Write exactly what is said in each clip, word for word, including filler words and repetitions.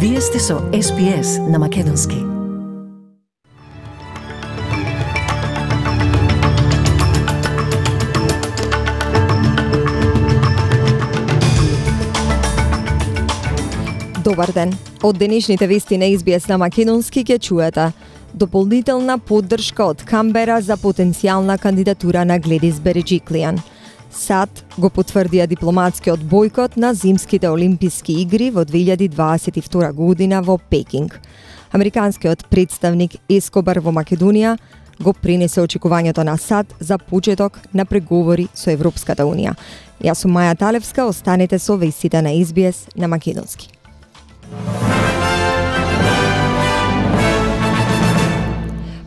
Вие сте со Ес Би Ес на Македонски. Добар ден. Од денешните вести на Ес Би Ес на Македонски ќе чуете дополнителна поддршка од Камбера за потенцијална кандидатура на Гледис Береджиклијан. САД го потврдија дипломатскиот бојкот на зимските олимписки игри во две илјади дваесет и втора година во Пекинг. Американскиот представник Ескобар во Македонија го пренесе очекувањето на САД за почеток на преговори со Европската Унија. Јас сум Маја Талевска, останете со вестите на Ес Би Ес на Македонски.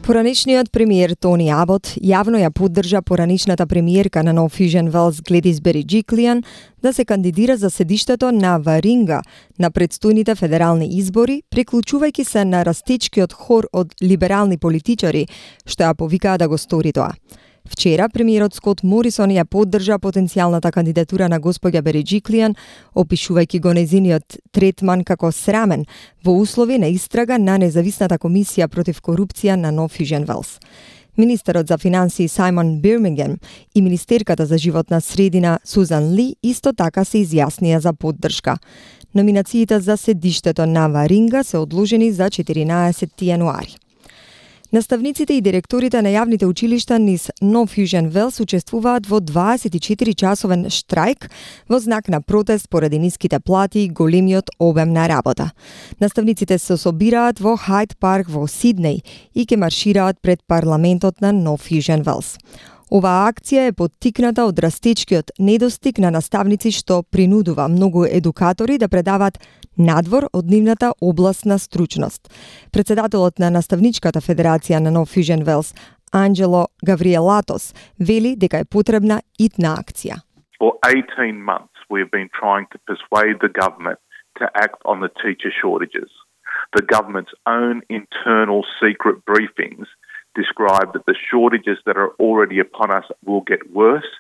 Поранешниот премиер Тони Абот јавно ја поддржа поранешната премиерка на Нов Южен Велс Гледис Береджиклијан да се кандидира за седиштето на Варинга на предстојните федерални избори, приклучувајќи се на растечкиот хор од либерални политичари што ја повикаа да го стори тоа. Вчера премиерот Скот Морисон ја поддржа потенцијалната кандидатура на госпоѓа Береджиклијан, опишувајќи го нејзиниот третман како срамен во услови на истрага на независната комисија против корупција на Нов Южен Велс. Министерот за финансии Сајмон Бирмингем и министерката за животна средина Сузан Ли исто така се изјаснија за поддршка. Номинациите за седиштето на Варинга се одложени за четиринаесети јануари. Наставниците и директорите на јавните училишта низ Нов Южен Велс учествуваат во дваесет и четири часовен штрајк во знак на протест поради ниските плати и големиот обем на работа. Наставниците се собираат во Хајд парк во Сиднеј и ќе маршираат пред парламентот на Нов Южен Велс. Оваа акција е поттикната од растечкиот недостиг на наставници што принудува многу едукатори да предават надвор од нивната областна стручност. Председателот на Наставничката федерација на Нов Южен Велс, Анджело Гавриелатос, вели дека е потребна итна акција. For eighteen months we have been trying to persuade the government to act on the teacher shortages. The government's own internal secret briefings describe that the shortages that are already upon us will get worse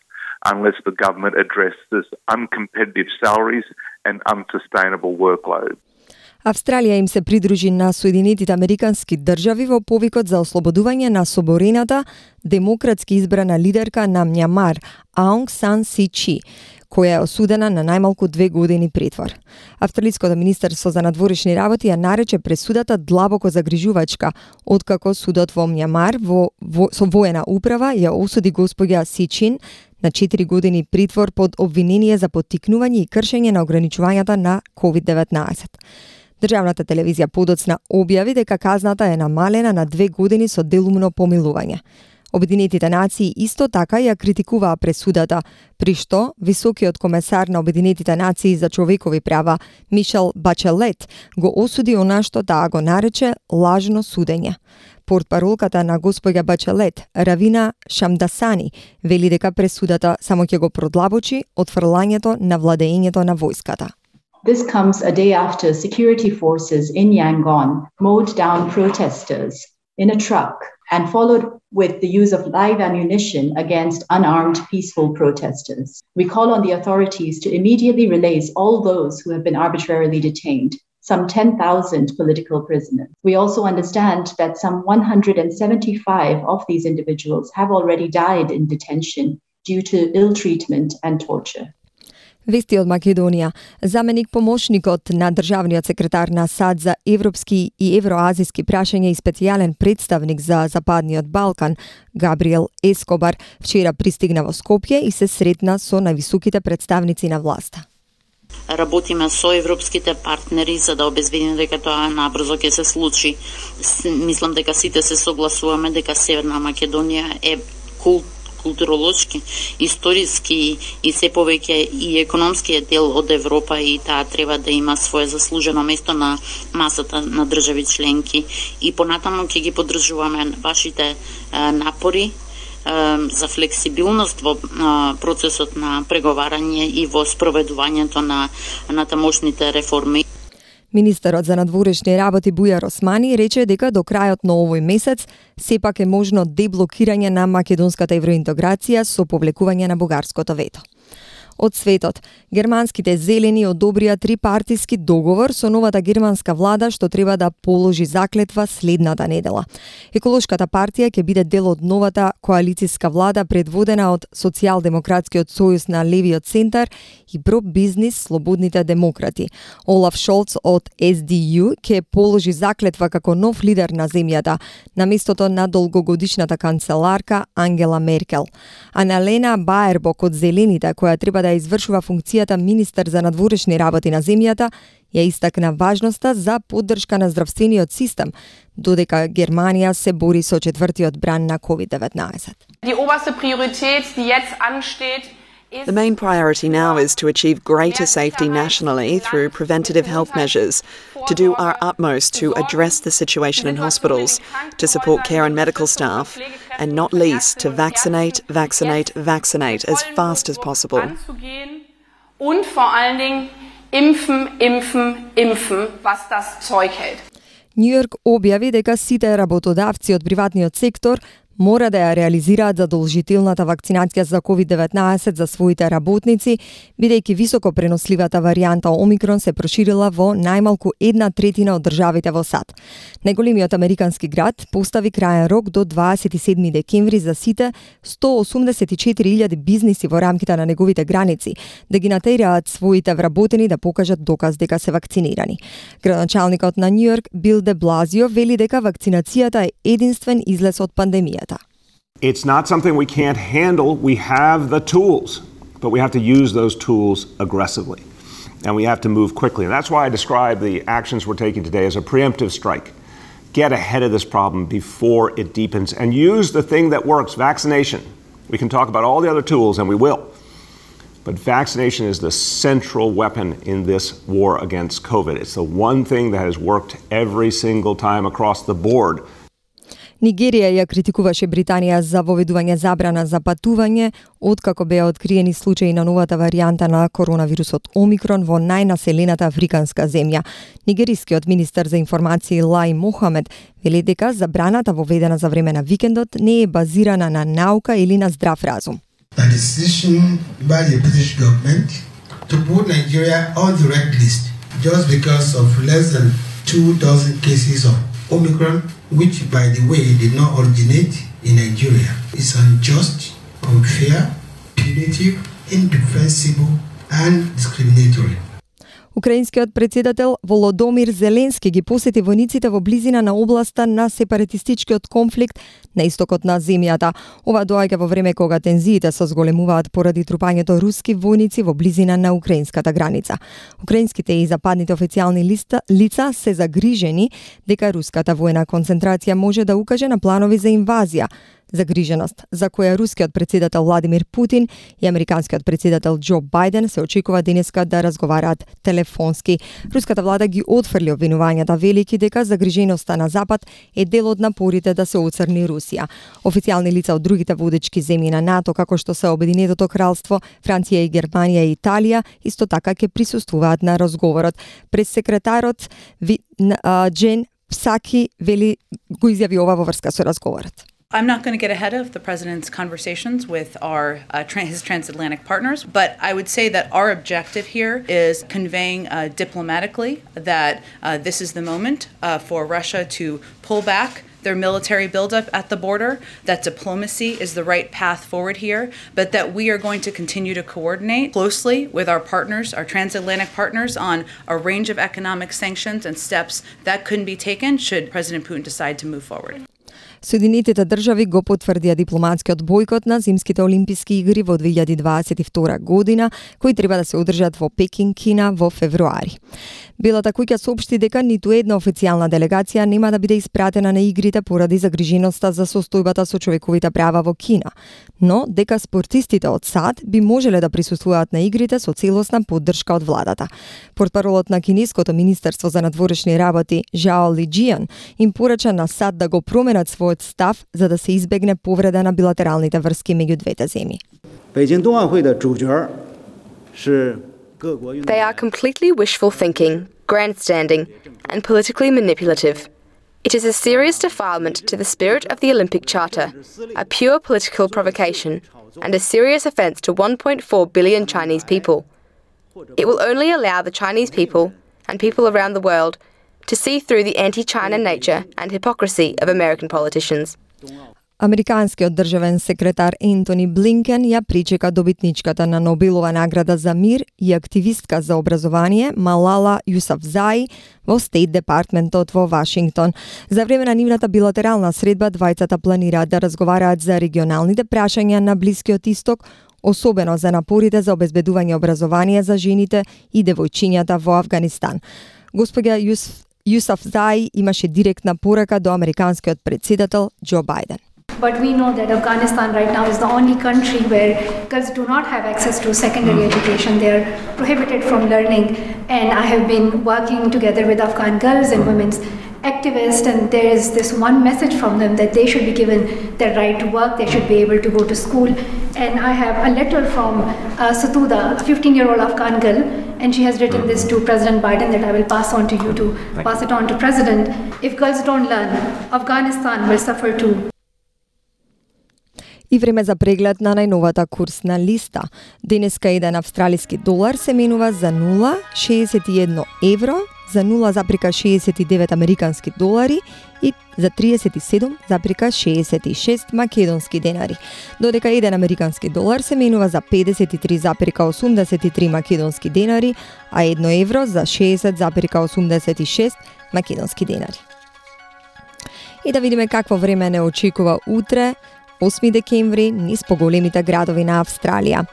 unless the government addresses uncompetitive salaries and unsustainable workload. Австралија им се придружи на Соединетите Американски држави во повикот за ослободување на соборената демократски избрана лидерка на Мјанмар Аунг Сан Су Чи, која е осудена на најмалку две години притвор. Австралиското министерство за надворешни работи ја нарече пресудата длабоко загрижувачка, откако судот во Мјанмар во, во, со воена управа ја осуди госпоѓа Си Чин на четири години притвор под обвинение за поттикнување и кршење на ограничувањата на ковид деветнаесет. Државната телевизија подоцна објави дека казната е намалена на две години со делумно помилување. Обединетите нации исто така ја критикуваа пресудата, при што високиот комесар на Обединетите нации за човекови права Мишел Бачелет го осуди она што таа го нарече лажно судење. Портпаролката на госпоѓа Бачелет, Равина Шамдасани, вели дека пресудата само ќе го продлабочи отфрлањето на владеењето на војската. This comes a day after security forces in Yangon mowed down protesters in a truck and followed with the use of live ammunition against unarmed peaceful protesters. We call on the authorities to immediately release all those who have been arbitrarily detained, some ten thousand political prisoners. We also understand that some one hundred seventy-five of these individuals have already died in detention due to ill treatment and torture. Вести од Македонија. Заменик помошникот на државниот секретар на САД за европски и евроазиски прашања и специјален представник за Западниот Балкан, Габриел Ескобар, вчера пристигна во Скопје и се сретна со највисоките представници на власта. Работиме со европските партнери за да обезбедиме дека тоа набрзо ќе се случи. Мислам дека сите се согласуваме дека Северна Македонија е култ културолошки, историски и се повеќе и економскиот дел од Европа и таа треба да има свое заслужено место на масата на држави членки и понатаму ќе ги поддржуваме вашите а, напори а, за флексибилност во а, процесот на преговарање и во спроведувањето на натамошните реформи. Министерот за надворешни работи Бујар Османи рече дека до крајот на овој месец сепак е можно деблокирање на македонската евроинтеграција со повлекување на бугарското вето. од светот. Германските зелени одобрија трипартиски договор со новата германска влада што треба да положи заклетва следната недела. Еколошката партија ќе биде дел од новата коалициска влада предводена од Социјалдемократскиот сојуз на левиот центар и про-бизнис Слободните демократи. Олаф Шолц од Ес Ди Ју ќе положи заклетва како нов лидер на земјата на местото на долгогодишната канцеларка Ангела Меркел. Аналена Баербок од Зелените, која треба да извршува функцијата министер за надворешни работи на земјата, ја истакна важноста за поддршка на здравствениот систем, додека Германија се бори со четвртиот бран на ковид деветнаесет. The main priority now is to achieve greater safety nationally through preventative health measures, to do our utmost to address the situation in hospitals, to support care and medical staff, and not least to vaccinate, vaccinate, vaccinate as fast as possible. Und vor allen Dingen impfen, impfen, impfen, was das Zeug hält. Нью Йорк објави дека сите работодавци од приватниот сектор мора да ја реализираат задолжителната вакцинација за ковид деветнаесет за своите работници, бидејќи високо преносливата варијанта Омикрон се проширила во најмалку една третина од државите во САД. Најголемиот американски град постави крајен рок до дваесет и седми декември за сите сто осумдесет и четири илјади бизниси во рамките на неговите граници да ги натераат своите вработени да покажат доказ дека се вакцинирани. Градоначалникот на Нью Йорк Бил де Блазио вели дека вакцинацијата е единствен излез од пандемијата. It's not something we can't handle. We have the tools, but we have to use those tools aggressively. And we have to move quickly. And that's why I describe the actions we're taking today as a preemptive strike. Get ahead of this problem before it deepens and use the thing that works, vaccination. We can talk about all the other tools, and we will. But vaccination is the central weapon in this war against COVID. It's the one thing that has worked every single time across the board. Нигерија ја критикуваше Британија за воведување забрана за патување, откако беа откриени случаи на новата варијанта на коронавирусот Омикрон во најнаселената африканска земја. Нигерискиот министер за информации Лај Мохамед вели дека забраната воведена за време на викендот не е базирана на наука или на здрав разум. The decision by the British government to put Nigeria on the red list just because of less than two dozen cases of Omicron, which, by the way, did not originate in Nigeria, is unjust, unfair, punitive, indefensible, and discriminatory. Украинскиот председател Володомир Зеленски ги посети војниците во близина на областа на сепаратистичкиот конфликт на истокот на земјата. Ова доаѓа во време кога тензиите се зголемуваат поради трупањето руски војници во близина на украинската граница. Украинските и западните официјални листа, лица се загрижени дека руската војна концентрација може да укаже на планови за инвазија. Загриженост за која рускиот председател Владимир Путин и американскиот председател Џо Бајден се очекува денеска да разговараат телефонски. Руската влада ги отфрли обвинувањата, велики дека загриженоста на Запад е дел од напорите да се оцрни Русија. Официјални лица од другите водечки земји на НАТО, како што се Обединетото кралство, Франција и Германија и Италија, исто така ќе присуствуваат на разговорот. Прес-секретарот Джен Псаки вели го изјави ова во врска со разговорот. I'm not going to get ahead of the president's conversations with our uh, tra- his transatlantic partners, but I would say that our objective here is conveying uh, diplomatically that uh, this is the moment uh, for Russia to pull back their military buildup at the border, that diplomacy is the right path forward here, but that we are going to continue to coordinate closely with our partners, our transatlantic partners, on a range of economic sanctions and steps that couldn't be taken should President Putin decide to move forward. Соединетите држави го потврдија дипломатскиот бојкот на зимските олимписки игри во две илјади дваесет и втора година, кои треба да се одржат во Пекинг, Кина во февруари. Белата куќа соопшти дека ниту една официјална делегација нема да биде испратена на игрите поради загриженоста за состојбата со човековите права во Кина, но дека спортистите од САД би можеле да присуствуваат на игрите со целосна поддршка од владата. Портпаролот на кинеското министерство за надворешни работи Жао Лиџијан им порача на САД да го променат својот став за да се избегне повреда на билатералните врски меѓу двете земји. They are completely wishful thinking, grandstanding, and politically manipulative. It is a serious defilement to the spirit of the Olympic Charter, a pure political provocation, and a serious offence to one point four billion Chinese people. It will only allow the Chinese people and people around the world to see through the anti-China nature and hypocrisy of American politicians. Американскиот државен секретар Ентони Блинкен ја причека добитничката на Нобелова награда за мир и активистка за образование Малала Јусафзаи во Стейт Департментот во Вашингтон. За време на нивната билатерална средба двајцата планираат да разговараат за регионалните прашања на Блискиот Исток, особено за напорите за обезбедување образование за жените и девојчињата во Авганистан. Господја Јус, Јусафзаи имаше директна порака до американскиот председател Џо Бајден. But we know that Afghanistan right now is the only country where girls do not have access to secondary education. They are prohibited from learning. And I have been working together with Afghan girls and women's activists, and there is this one message from them that they should be given the right to work, they should be able to go to school. And I have a letter from uh, Satuda, a fifteen-year-old Afghan girl, and she has written this to President Biden that I will pass on to you to pass it on to President. If girls don't learn, Afghanistan will suffer too. И време за преглед на најновата курсна листа. Денеска еден австралиски долар се менува за нула зарез шеесет и едно евро, за нула зарез шеесет и девет американски долари и за триесет и седум зарез шеесет и шест македонски денари. Додека еден американски долар се менува за педесет и три зарез осумдесет и три македонски денари, а едно евро за шеесет зарез осумдесет и шест македонски денари. И да видиме какво време не очекува утре, осми декември, низ поголемите градови на Австралија.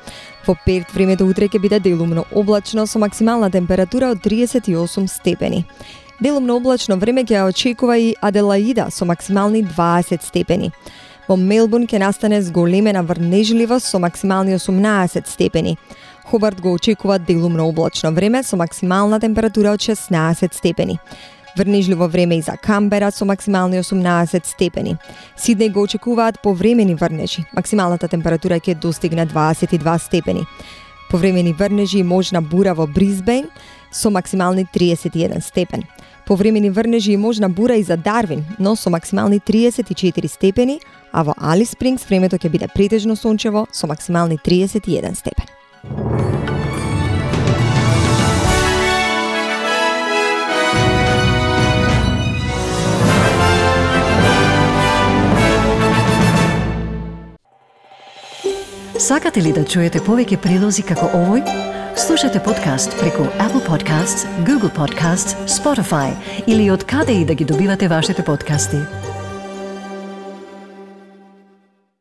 Во Перт времето утре ќе биде делумно облачно со максимална температура од триесет и осум степени. Делумно облачно време ќе очекува и Аделаида со максимални дваесет степени. Во Мелбурн ќе настане зголемена врнежливост со максимални осумнаесет степени. Хобарт го очекува делумно облачно време со максимална температура од шеснаесет степени. Врнежливо време и за Камбера со максимални осумнаесет степени. Сиднеј го очекуваат повремени врнежи. Максималната температура ќе достигне дваесет и два степени. Повремени врнежи и можна бура во Брисбејн со максимални триесет и еден степен. Повремени врнежи и можна бура и за Дарвин, но со максимални триесет и четири степени, а во Алис Спрингс времето ќе биде претежно сончево со максимални триесет и еден степен. Сакате ли да чуете повеќе прилози како овој? Слушате подкаст преку Apple Podcasts, Google Podcasts, Spotify или од каде и да ги добивате вашите подкасти.